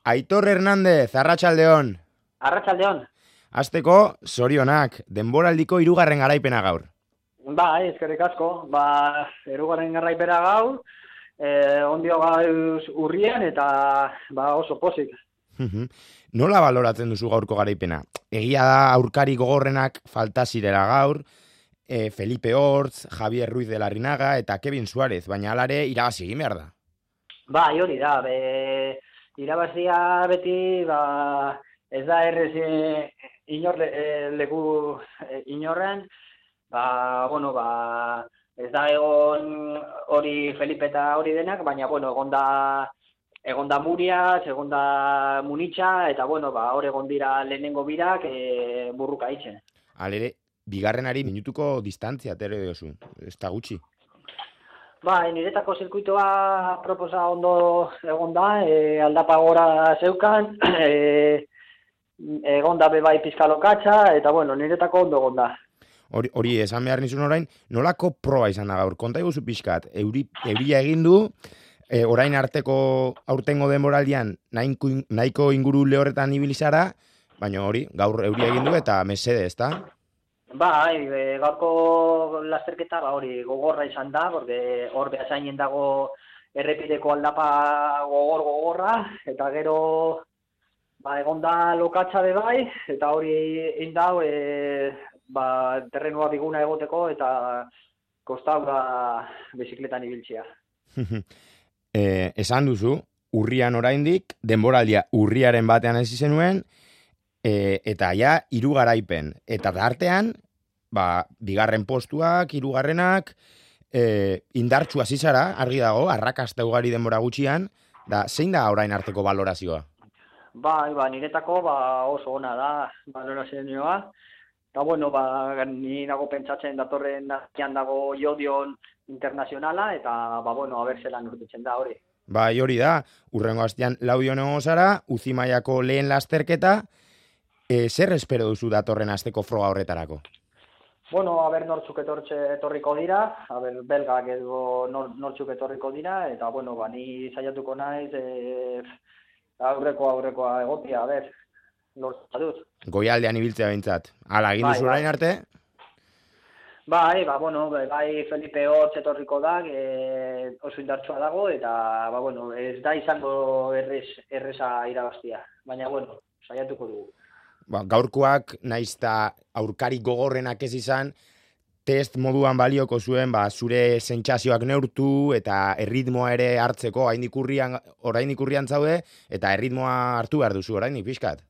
Aitor Hernández, arratsaldeon. Arratsaldeon. Hasteko, zorionak, denboraldiko 3. garaipena gaur. Eskerrik asko. Hirugarren garraipera gaur, ondio gauz urrian eta oso pozik. Nola baloratzen duzu gaurko garaipena? Egia da aurkari gogorrenak falta zirela gaur, Felipe Hortz, Javier Ruiz de Larrinaga eta Kevin Suárez, baina alare irabazi egin behar da. Hori da, irabazia beti, ez da errez leku inorren, ez da egon hori Felipe eta hori denak, baina, egon da Murias, egon da Munitxa, eta, hor egon dira lehenengo birak burruka itzen. Alere, bigarrenari minutuko distantzia tere diozu, ez da gutxi. Niretako zirkuitoa proposa ondo egon da, aldapa gora zeukan, egon da bebai pizkalokatza, eta niretako ondo egon da. Hori esan behar nizun orain, nolako proa izan da gaur? Konta iguzu pixkat, euria egin du, orain arteko aurtengo denboraldian nahiko inguru lehorretan ibilizara, baina hori, gaur euria egin du eta mesede, ezta? Gaurko lasterketa hori gogorra izan da, porque hor behasainen dago errepideko aldapa gogorra, eta gero egon da lokatza bebai, eta hori indau terrenua biguna egoteko eta kostau da bizikletan ibiltzea. Esan duzu, urrian oraindik, denboraldia urriaren batean hasi zenuen, eta ja 3 garaipen. Eta tartean, bigarren postuak, 3. Indartsu hasi zara, argi dago, arrakasta ugari denbora gutxian, da zein da orain arteko balorazioa? Niretako oso ona da balorazioa. Eta ni nago pentsatzen datorren azkian dago Jodion internazionala, eta abertzelan urtitzen da hori. Hori da, urrengo astean Laudion egongo zara, UCI mailako lehen lasterketa, zer espero duzu datorren asteko froga horretarako? Nortzuk etorriko dira, belgak edo nortzuk etorriko dira, eta ni saiatuko naiz aurrekoa egotia, nortzuk dut. Goialdean ibiltzea behintzat. Hala, egin duzu orain arte? Felipe Hortz etorriko da, oso indartsua dago, eta ez da izango erreza irabaztia, baina saiatuko dugu. Gaurkoak, naizta aurkari gogorrenak ez izan, test moduan balioko zuen, zure sentsazioak neurtu eta erritmoa ere hartzeko, orain ikurrian zaude, eta erritmoa hartu behar duzu, orainik pixkat?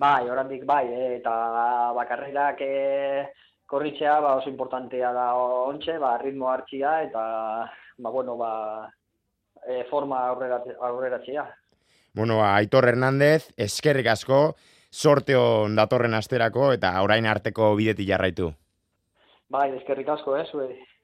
Oraindik eta bakarrerak korritzea oso importantea da ontxe, ritmoa hartzia eta forma aurreratzea. Aitor Hernández, eskerrik asko, sorteon datorren asterako eta orain arteko bidetik jarraitu. Eskerrik asko, zuei.